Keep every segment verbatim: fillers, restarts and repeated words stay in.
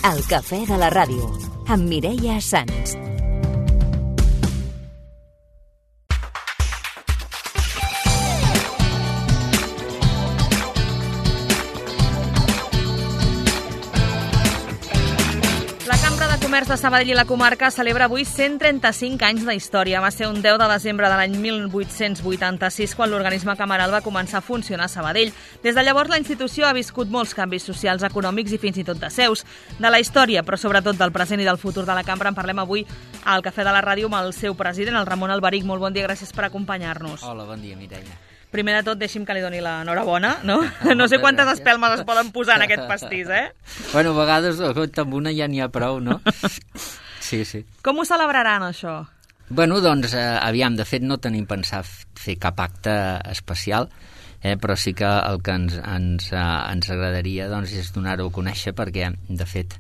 El cafè de la ràdio, amb Mireia Sans. Comerç de Sabadell i la comarca celebra avui cent trenta-cinc anys de història. Va ser un deu de desembre de l'any mil vuit-cents vuitanta-sis quan l'organisme cameral va començar a funcionar a Sabadell. Des de llavors la institució ha viscut molts canvis socials, econòmics i fins i tot de seus. De la història, però sobretot del present i del futur de la cambra, en parlem avui al Cafè de la Ràdio amb el seu president, el Ramon Alberic. Molt bon dia, gràcies per acompanyar-nos. Hola, bon dia, Mireia. Primer de tot, deixi'm que li doni l'enhorabona, no? No sé quantes espelmes es poden posar en aquest pastís, eh? Bueno, a vegades amb una ja n'hi ha prou, no? Sí, sí. Com ho celebraran, això? Bueno, doncs, eh, aviam, de fet no tenim pensat fer cap acte especial, eh, però sí que el que ens, ens, eh, ens agradaria doncs, és donar-ho a conèixer perquè, de fet,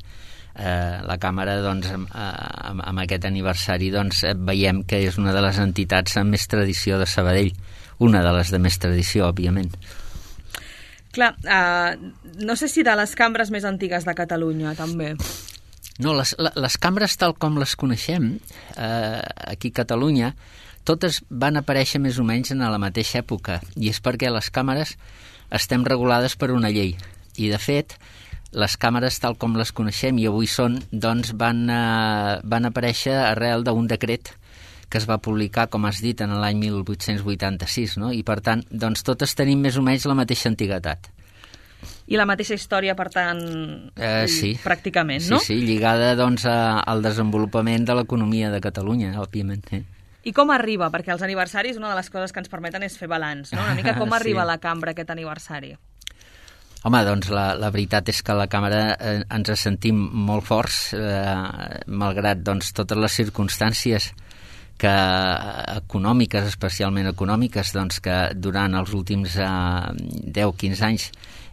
eh, la Càmera, doncs, amb, amb, amb aquest aniversari, doncs, veiem que és una de les entitats amb més tradició de Sabadell, una de les de més tradició, òbviament. Clar, eh, no sé si de les cambres més antigues de Catalunya, també. No, les, les cambres tal com les coneixem, eh, aquí a Catalunya, totes van aparèixer més o menys en la mateixa època, i és perquè les càmeres estem regulades per una llei. I, de fet, les càmeres tal com les coneixem i avui són, doncs van, eh, van aparèixer arrel d'un decret que es va publicar, com has dit, en l'any mil vuit-cents vuitanta-sis, no? I, per tant, doncs totes tenim més o menys la mateixa antiguitat. I la mateixa història, per tant, eh, sí. pràcticament, sí, no? Sí, sí, lligada doncs, a, al desenvolupament de l'economia de Catalunya, òbviament. Eh? I com arriba? Perquè els aniversaris, una de les coses que ens permeten és fer balanç, no? Una mica com arriba sí. a la cambra aquest aniversari? Home, doncs la, la veritat és que a la Càmera eh, ens sentim molt forts, eh, malgrat doncs, totes les circumstàncies que econòmiques, especialment econòmiques, doncs que durant els últims eh, deu a quinze anys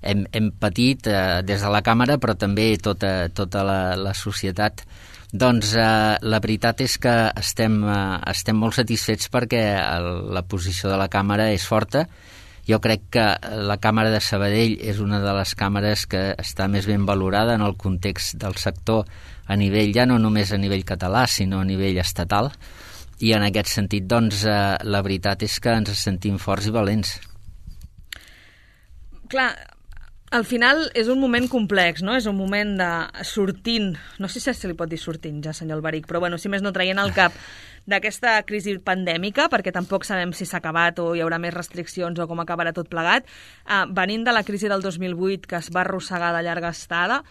hem, hem patit eh, des de la Càmera, però també tota, tota la, la societat. Doncs eh, la veritat és que estem, eh, estem molt satisfets perquè el, la posició de la Càmera és forta. Jo crec que la Càmera de Sabadell és una de les càmeres que està més ben valorada en el context del sector a nivell, ja no només a nivell català, sinó a nivell estatal. I en aquest sentit, doncs, eh, la veritat és que ens sentim forts i valents. Clar, al final és un moment complex, no? És un moment de sortint, no sé si se li pot dir sortint ja, senyor Alberic, però bueno, si més no traient el cap d'aquesta crisi pandèmica, perquè tampoc sabem si s'ha acabat o hi haurà més restriccions o com acabarà tot plegat, eh, venint de la crisi del dos mil vuit, que es va arrossegar de llarga estada,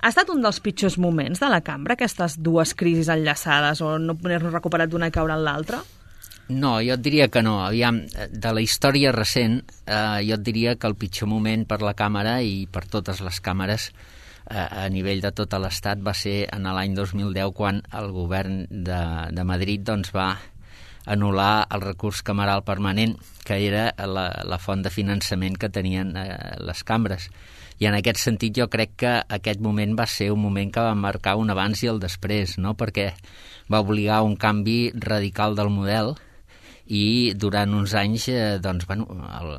ha estat un dels pitjors moments de la cambra, aquestes dues crisis enllaçades, o no poder-nos recuperar d'una i caure en l'altra? No, jo et diria que no. Aviam, de la història recent, eh, jo et diria que el pitjor moment per la Càmera i per totes les càmeres eh, a nivell de tot l'Estat va ser en l'any dos mil deu, quan el govern de, de Madrid doncs, va anul·lar el recurs cameral permanent, que era la, la font de finançament que tenien eh, les cambres. I en aquest sentit jo crec que aquest moment va ser un moment que va marcar un abans i el després, no? Perquè va obligar a un canvi radical del model i durant uns anys eh, doncs, bueno, el,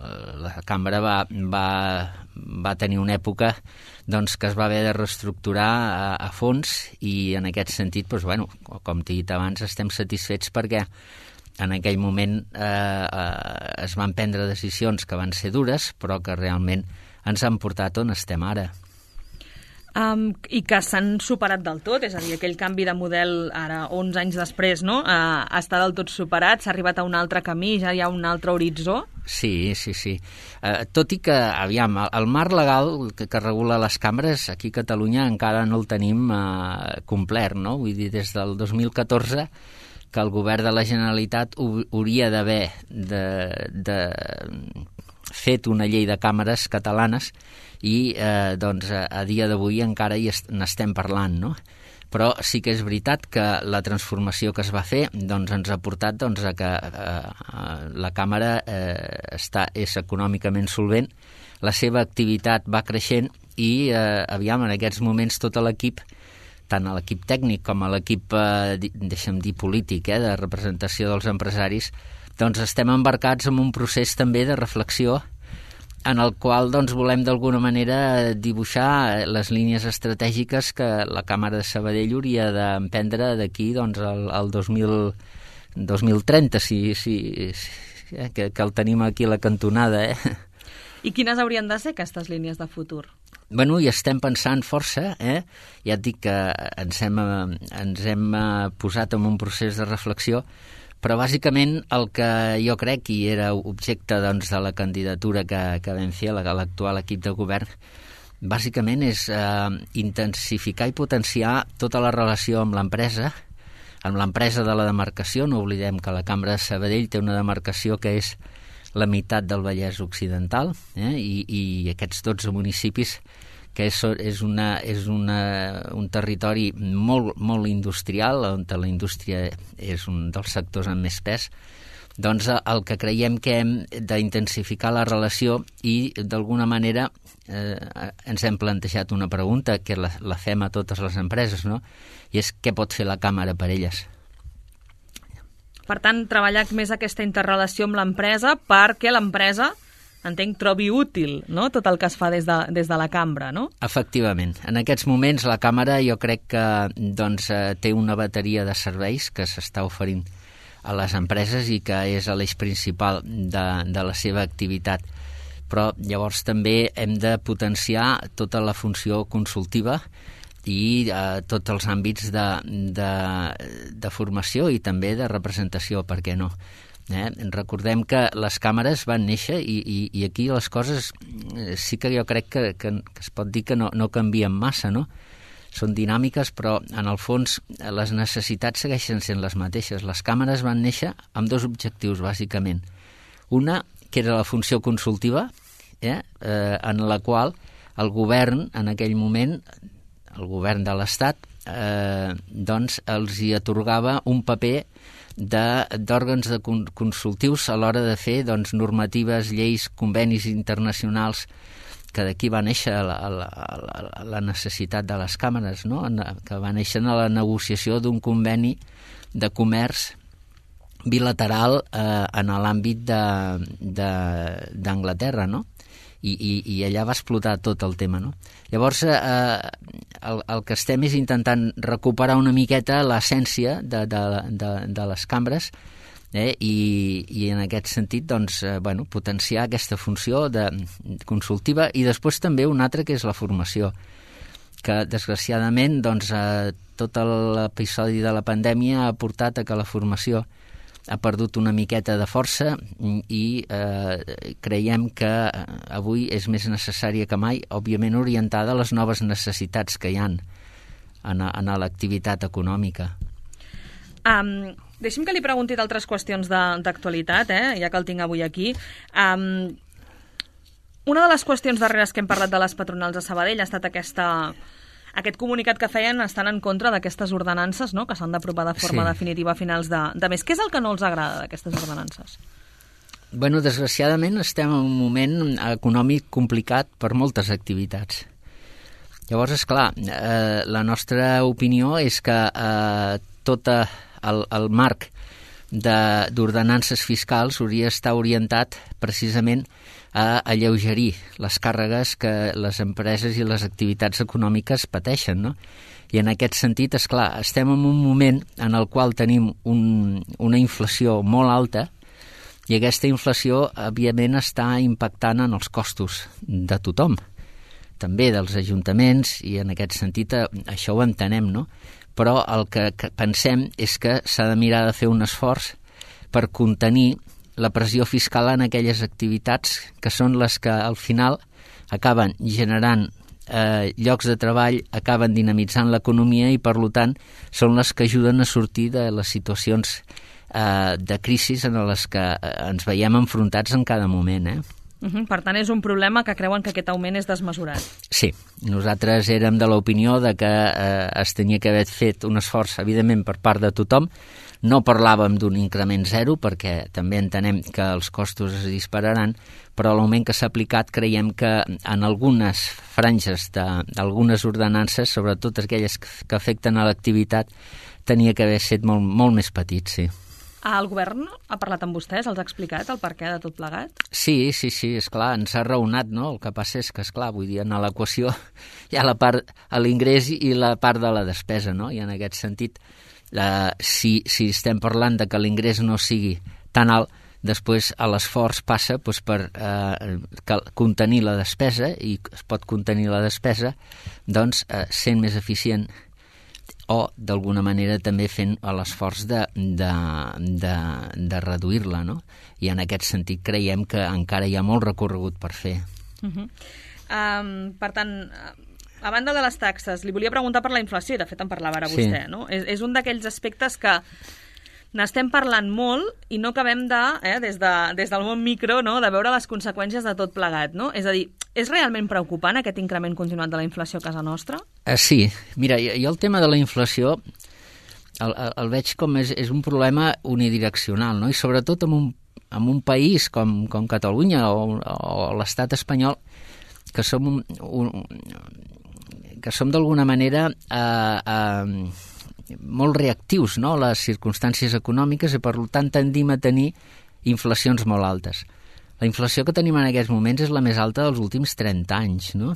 la cambra va, va, va tenir una època doncs, que es va haver de reestructurar a, a fons i en aquest sentit, doncs, bueno, com t'he dit abans, estem satisfets perquè en aquell moment eh, eh, es van prendre decisions que van ser dures però que realment ens han portat on estem ara. Um, I que s'han superat del tot, és a dir, aquell canvi de model ara, onze anys després, no? Uh, està del tot superat, s'ha arribat a un altre camí, ja hi ha un altre horitzó? Sí, sí, sí. Uh, tot i que, aviam, el marc legal que, que regula les cambres aquí a Catalunya encara no el tenim uh, complet, no? Vull dir, des del dos mil catorze que el govern de la Generalitat hauria d'haver de, de fet una llei de càmeres catalanes i eh, doncs, a, a dia d'avui encara hi n'estem parlant, no? Però sí que és veritat que la transformació que es va fer doncs, ens ha portat doncs, a que eh, la càmera eh, està, és econòmicament solvent, la seva activitat va creixent i, eh, aviam, en aquests moments tot l'equip, tant a l'equip tècnic com a l'equip, eh, deixa'm dir, polític, eh, de representació dels empresaris, doncs estem embarcats en un procés també de reflexió en el qual doncs, volem d'alguna manera dibuixar les línies estratègiques que la Càmera de Sabadell hauria d'emprendre d'aquí doncs, al, al dos mil trenta, si, si, si, eh, que, que el tenim aquí a la cantonada. Eh? I quines haurien de ser aquestes línies de futur? Bueno, hi estem pensant força, eh? Ja et dic que ens hem, ens hem posat en un procés de reflexió, però bàsicament el que jo crec, i era objecte doncs, de la candidatura que, que vam fer a l'actual equip de govern, bàsicament és eh, intensificar i potenciar tota la relació amb l'empresa, amb l'empresa de la demarcació. No oblidem que la Cambra de Sabadell té una demarcació que és la meitat del Vallès Occidental, eh? I, i aquests dotze municipis que és, és, una, és una, un territori molt, molt industrial, on la indústria és un dels sectors amb més pes, doncs el que creiem que hem d'intensificar la relació i d'alguna manera eh, ens hem plantejat una pregunta que la, la fem a totes les empreses, no? I és què pot fer la Càmera per elles? Per tant, treballar més aquesta interrelació amb l'empresa perquè l'empresa, entenc, trobi útil, no?, tot el que es fa des de, des de la cambra, no? Efectivament. En aquests moments la Càmera jo crec que doncs, té una bateria de serveis que s'està oferint a les empreses i que és l'eix principal de, de la seva activitat. Però llavors també hem de potenciar tota la funció consultiva i eh, tots els àmbits de, de, de formació i també de representació, per què no? Eh? Recordem que les càmeres van néixer i, i, i aquí les coses eh, sí que jo crec que, que, que es pot dir que no, no canvien massa, no? Són dinàmiques, però en el fons les necessitats segueixen sent les mateixes. Les càmeres van néixer amb dos objectius, bàsicament. Una, que era la funció consultiva, eh? Eh, en la qual el govern, en aquell moment, el govern de l'Estat, eh, doncs els hi atorgava un paper d'òrgans de, de consultius a l'hora de fer doncs, normatives, lleis, convenis internacionals, que d'aquí va néixer la, la, la, la necessitat de les càmeres, no? Que va néixer en la negociació d'un conveni de comerç bilateral eh, en l'àmbit d'Anglaterra, no? I, i, i allà va explotar tot el tema, no? Llavors, eh, el, el que estem és intentant recuperar una miqueta l'essència de, de, de, de les cambres, eh? I, i en aquest sentit, doncs, eh, bueno, potenciar aquesta funció de, consultiva i després també una altra que és la formació, que desgraciadament doncs, eh, tot l'episodi de la pandèmia ha portat a que la formació ha perdut una miqueta de força i eh, creiem que avui és més necessària que mai, òbviament orientada a les noves necessitats que hi ha en, en l'activitat econòmica. Um, deixi'm que li pregunti d'altres qüestions d'actualitat, eh, ja que el tinc avui aquí. Um, una de les qüestions darreres que hem parlat de les patronals a Sabadell ha estat aquesta... Aquest comunicat que feien estan en contra d'aquestes ordenances, no?, que s'han d'aprovar de forma sí. definitiva a finals de, de mes. Què és el que no els agrada d'aquestes ordenances? Bueno, desgraciadament estem en un moment econòmic complicat per moltes activitats. Llavors, esclar, eh, la nostra opinió és que eh, tot el, el marc d'ordenances fiscals hauria d'estar orientat precisament a alleugerir les càrregues que les empreses i les activitats econòmiques pateixen, no? I en aquest sentit, esclar, estem en un moment en el qual tenim un, una inflació molt alta i aquesta inflació, òbviament, està impactant en els costos de tothom, també dels ajuntaments, i en aquest sentit això ho entenem, no? Però el que pensem és que s'ha de mirar de fer un esforç per contenir la pressió fiscal en aquelles activitats que són les que al final acaben generant eh, llocs de treball, acaben dinamitzant l'economia i per tant són les que ajuden a sortir de les situacions eh, de crisi en les que ens veiem enfrontats en cada moment, eh? Uh-huh. Per tant, és un problema que creuen que aquest augment és desmesurat. Sí, nosaltres érem de l'opinió de que eh, es tenia que haver fet un esforç, evidentment, per part de tothom. No parlàvem d'un increment zero, perquè també entenem que els costos es dispararan, però l'augment que s'ha aplicat creiem que en algunes franges d'algunes ordenances, sobretot aquelles que afecten a l'activitat, tenia que haver estat molt, molt més petit, sí. El govern ha parlat amb vostès? Els ha explicat el perquè de tot plegat? Sí, sí, sí, esclar, ens ha raonat, no? El que passa és que, esclar, vull dir, en l'equació hi ha la part, l'ingrés i la part de la despesa, no? I en aquest sentit, eh, si, si estem parlant de que l'ingrés no sigui tan alt, després l'esforç passa doncs, per eh, contenir la despesa, i es pot contenir la despesa doncs, eh, sent més eficient o, d'alguna manera, també fent l'esforç de, de, de, de reduir-la, no? I en aquest sentit creiem que encara hi ha molt recorregut per fer. Uh-huh. um, per tant, a banda de les taxes, li volia preguntar per la inflació, i de fet en parlava ara sí. vostè, no? És, és un d'aquells aspectes que n'estem parlant molt i no acabem de, eh, des, de, des del món micro, no?, de veure les conseqüències de tot plegat, no? És a dir, és realment preocupant aquest increment continuat de la inflació a casa nostra? Uh, sí. Mira, jo el tema de la inflació el, el, el veig com és, és un problema unidireccional, no? I sobretot en un, en un país com, com Catalunya o, o l'estat espanyol, que som, un, un, que som d'alguna manera eh, eh, molt reactius, no?, a les circumstàncies econòmiques, i per tant tendim a tenir inflacions molt altes. La inflació que tenim en aquests moments és la més alta dels últims trenta anys, no?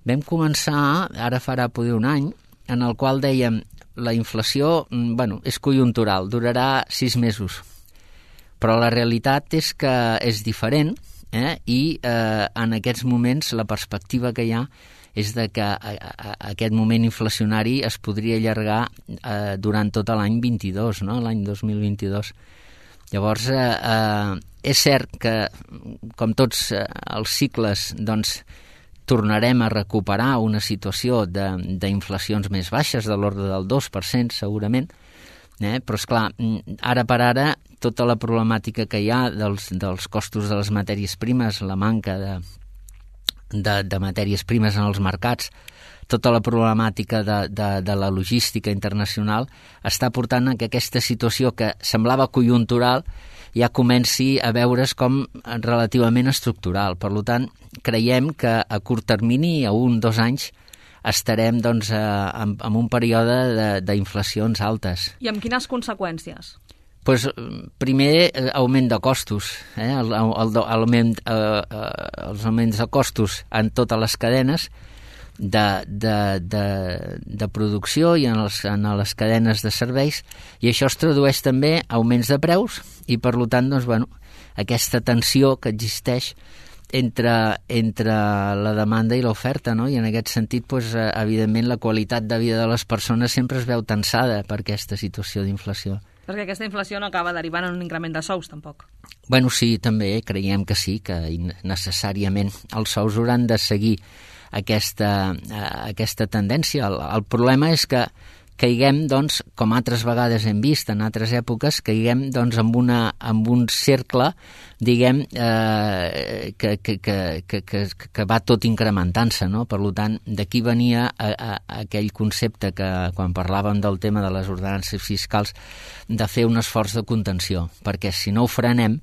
Vam començar, ara farà poder un any, en el qual dèiem la inflació, bueno, és conjuntural, durarà sis mesos. Però la realitat és que és diferent, eh? I eh, en aquests moments la perspectiva que hi ha és de que a, a, a aquest moment inflacionari es podria allargar eh, durant tot l'any vint-i-dos, no?, l'any dos mil vint-i-dos. Llavors, eh, eh, és cert que, com tots eh, els cicles, doncs, tornarem a recuperar una situació d'inflacions més baixes, de l'ordre del dos per cent, segurament, eh? Però, esclar, ara per ara, tota la problemàtica que hi ha dels, dels costos de les matèries primes, la manca de De, de matèries primes en els mercats, tota la problemàtica de, de, de la logística internacional està portant a que aquesta situació que semblava conjuntural ja comenci a veure's com relativament estructural. Per tant, creiem que a curt termini, a un, dos anys, estarem doncs, en, en un període d'inflacions altes. I amb quines conseqüències? Pues, primer, augment de costos, eh? el, el, augment, eh, els augments de costos en totes les cadenes de, de, de, de producció i en, els, en les cadenes de serveis, i això es tradueix també a augments de preus i, per tant, doncs, bueno, aquesta tensió que existeix entre, entre la demanda i l'oferta, no? I en aquest sentit, doncs, evidentment, la qualitat de vida de les persones sempre es veu tensada per aquesta situació d'inflació. Perquè aquesta inflació no acaba derivant en un increment de sous, tampoc. Bueno, sí, també creiem que sí, que necessàriament els sous hauran de seguir aquesta, aquesta tendència. El, el problema és que caiguem, doncs, com altres vegades hem vist en altres èpoques, caiguem doncs, amb, una, amb un cercle, diguem, eh, que, que, que, que, que, que va tot incrementant-se, no? Per tant, d'aquí venia a, a, a aquell concepte que, quan parlàvem del tema de les ordenances fiscals, de fer un esforç de contenció, perquè si no ho frenem,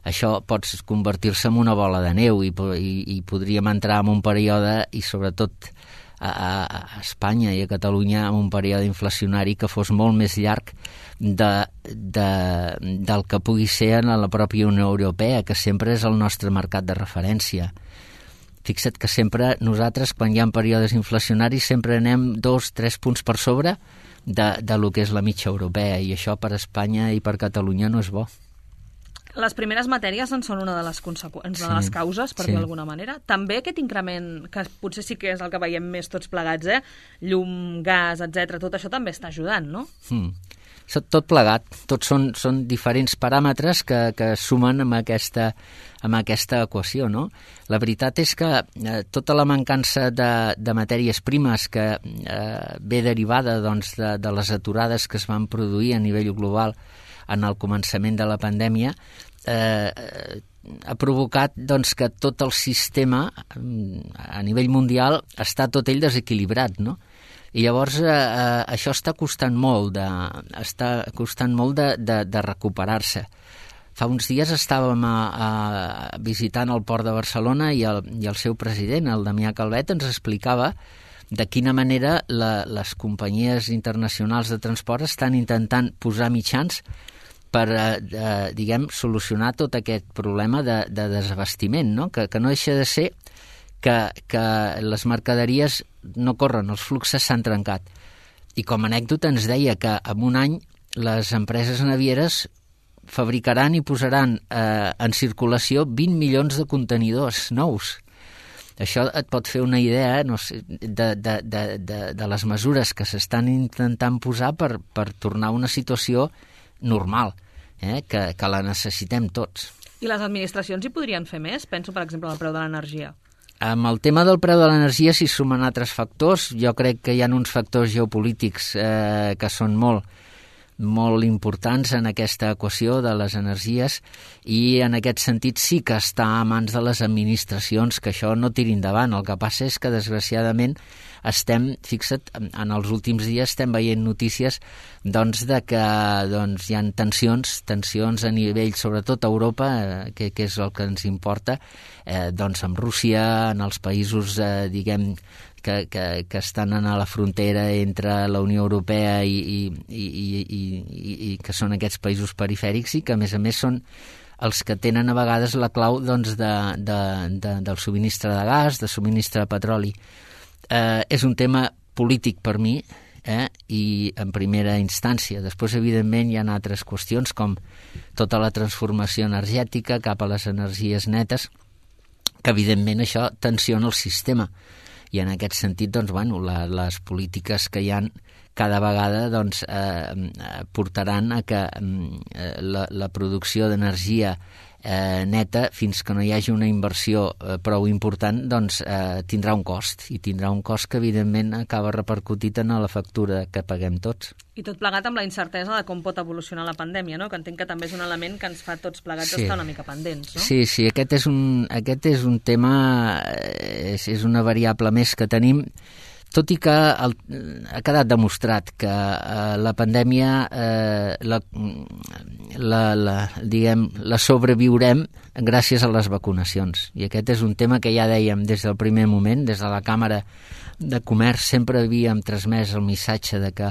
això pot convertir-se en una bola de neu i, i, i podríem entrar en un període, i sobretot a, a Espanya i a Catalunya, en un període inflacionari que fos molt més llarg de, de, del que pugui ser en la pròpia Unió Europea, que sempre és el nostre mercat de referència. Fixa't que sempre nosaltres, quan hi ha períodes inflacionaris, sempre anem dos, tres punts per sobre de, de lo que és la mitja europea, i això per Espanya i per Catalunya no és bo. Les primeres matèries en són una de les conseqüències, sí, de les causes, per sí. dir d'alguna manera. També aquest increment, que potser sí que és el que veiem més tots plegats, eh? Llum, gas, etcètera, tot això també està ajudant, no? Mm. Tot plegat, tots són, són diferents paràmetres que, que sumen amb aquesta, amb aquesta equació, no? La veritat és que eh, tota la mancança de, de matèries primes que eh, ve derivada, doncs, de, de les aturades que es van produir a nivell global en el començament de la pandèmia, eh, ha provocat, doncs, que tot el sistema a nivell mundial està tot ell desequilibrat, no? I llavors eh, això està costant molt de, està costant molt de, de, de recuperar-se. Fa uns dies estàvem a, a, visitant el port de Barcelona i el, i el seu president, el Damià Calvet, ens explicava de quina manera la, les companyies internacionals de transport estan intentant posar mitjans per eh, eh, diguem, solucionar tot aquest problema de, de desabastiment, no? Que, que no deixa de ser que, que les mercaderies no corren, els fluxos s'han trencat. I com a anècdota ens deia que en un any les empreses navieres fabricaran i posaran eh, en circulació vint milions de contenidors nous. Això et pot fer una idea no sé, de, de, de, de, de les mesures que s'estan intentant posar per, per tornar a una situació normal, eh? que, que la necessitem tots. I les administracions hi podrien fer més? Penso, per exemple, en el preu de l'energia. Amb el tema del preu de l'energia s'hi sumen altres factors. Jo crec que hi ha uns factors geopolítics eh, que són molt, molt importants en aquesta equació de les energies i en aquest sentit sí que està a mans de les administracions que això no tiri endavant. El que passa és que, desgraciadament, estem, fixa't, en els últims dies estem veient notícies doncs, de que doncs, hi ha tensions, tensions a nivell, sobretot a Europa, eh, que, que és el que ens importa, eh, doncs amb Rússia, en els països, eh, diguem, que, que, que estan a la frontera entre la Unió Europea i, i, i, i, i, i que són aquests països perifèrics i que, a més a més, són els que tenen a vegades la clau doncs, de, de, de, del subministre de gas, de subministre de petroli. Eh, és un tema polític per mi, eh, i en primera instància. Després, evidentment, hi ha altres qüestions com tota la transformació energètica cap a les energies netes, que evidentment això tensiona el sistema. I en aquest sentit, doncs, bueno, la, les polítiques que hi ha cada vegada doncs, eh, portaran a que eh, la, la producció d'energia eh, neta, fins que no hi hagi una inversió eh, prou important, doncs eh, tindrà un cost, i tindrà un cost que evidentment acaba repercutit en la factura que paguem tots. I tot plegat amb la incertesa de com pot evolucionar la pandèmia, no? Que entenc que també és un element que ens fa tots plegats sí. estar una mica pendents, no? Sí, sí, aquest és un, aquest és un tema, és, és una variable més que tenim, tot i que el, ha quedat demostrat que eh, la pandèmia eh, la, la, la, diguem, la sobreviurem gràcies a les vacunacions. I aquest és un tema que ja dèiem des del primer moment, des de la Càmera de Comerç sempre havíem transmès el missatge de que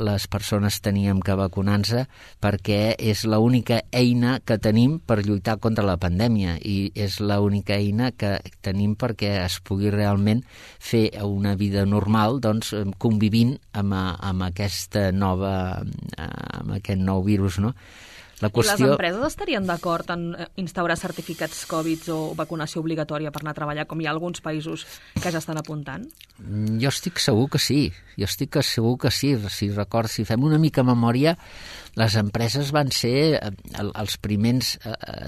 les persones teníem que vacunar-se perquè és l'única eina que tenim per lluitar contra la pandèmia i és l'única eina que tenim perquè es pugui realment fer una vida normal, doncs, convivint amb, amb aquesta nova, amb aquest nou virus, no? La qüestió... I les empreses estarien d'acord en instaurar certificats Covid o vacunació obligatòria per anar a treballar, com hi ha alguns països que ja estan apuntant? Jo estic segur que sí, jo estic segur que sí. Si record, si fem una mica memòria, les empreses van ser els primers,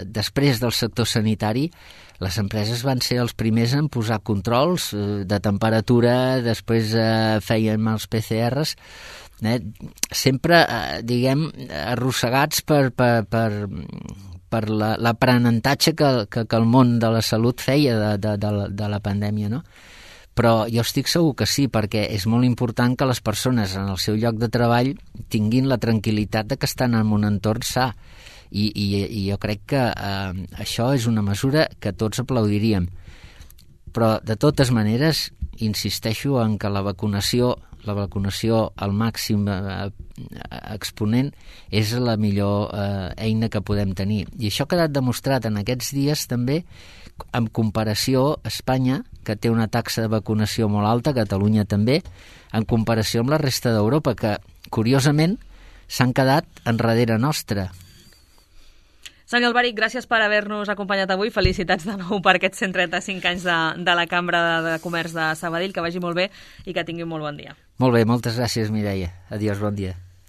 després del sector sanitari, les empreses van ser els primers en posar controls de temperatura, després fèiem els P C Rs, Eh, sempre, eh, diguem, arrossegats per, per, per, per la, l'aprenentatge que, que, que el món de la salut feia de, de, de, la, de la pandèmia, no? Però jo estic segur que sí, perquè és molt important que les persones en el seu lloc de treball tinguin la tranquil·litat de que estan en un entorn sa. I, i, i jo crec que eh, això és una mesura que tots aplaudiríem. Però, de totes maneres, insisteixo en que la vacunació la vacunació al màxim eh, exponent és la millor eh, eina que podem tenir. I això ha quedat demostrat en aquests dies també en comparació a Espanya, que té una taxa de vacunació molt alta, Catalunya també, en comparació amb la resta d'Europa, que, curiosament, s'han quedat enrere nostra. Senyor Alberic, gràcies per haver-nos acompanyat avui. Felicitats de nou per aquests cent trenta-cinc anys de, de la Cambra de, de Comerç de Sabadell. Que vagi molt bé i que tingui un molt bon dia. Molt bé, moltes gràcies, Mireia. Adiós, bon dia.